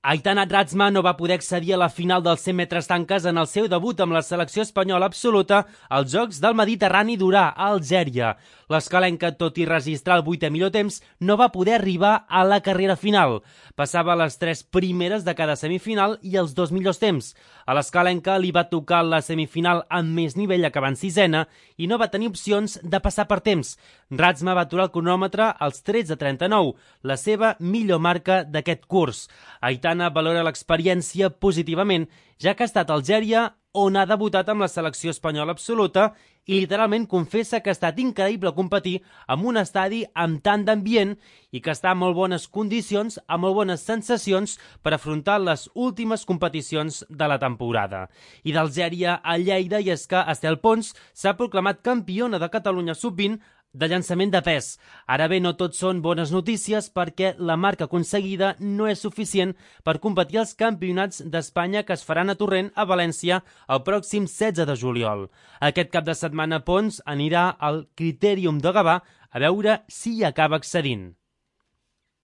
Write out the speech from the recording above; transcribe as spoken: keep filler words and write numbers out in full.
Aitana Dratsma no va poder accedir a la final dels cent metres tanques en el seu debut amb la selecció espanyola absoluta als Jocs del Mediterrani d'Urà, a Algèria. L'escalenca, tot i registrar el vuitè millor temps, no va poder arribar a la carrera final. Passava les tres primeres de cada semifinal i els dos millors temps. A l'escalenca li va tocar la semifinal amb més nivell acabant sisena i no va tenir opcions de passar per temps. Dratsma va aturar el cronòmetre als tretze trenta-nou, la seva millor marca d'aquest curs. Aitana valora l'experiència positivament, ja que ha estat a Algèria on ha debutat amb la selecció espanyola absoluta i literalment confessa que ha estat increïble competir en un estadi amb tant d'ambient i que està en molt bones condicions, amb molt bones sensacions per afrontar les últimes competicions de la temporada. I d'Algèria a Lleida, i és que Estel Pons s'ha proclamat campiona de Catalunya sub vint de llançament de pes. Ara bé, no tot són bones notícies perquè la marca aconseguida no és suficient per competir als campionats d'Espanya que es faran a Torrent, a València, el pròxim setze de juliol. Aquest cap de setmana Pons anirà al Critèrium de Gavà a veure si hi acaba accedint.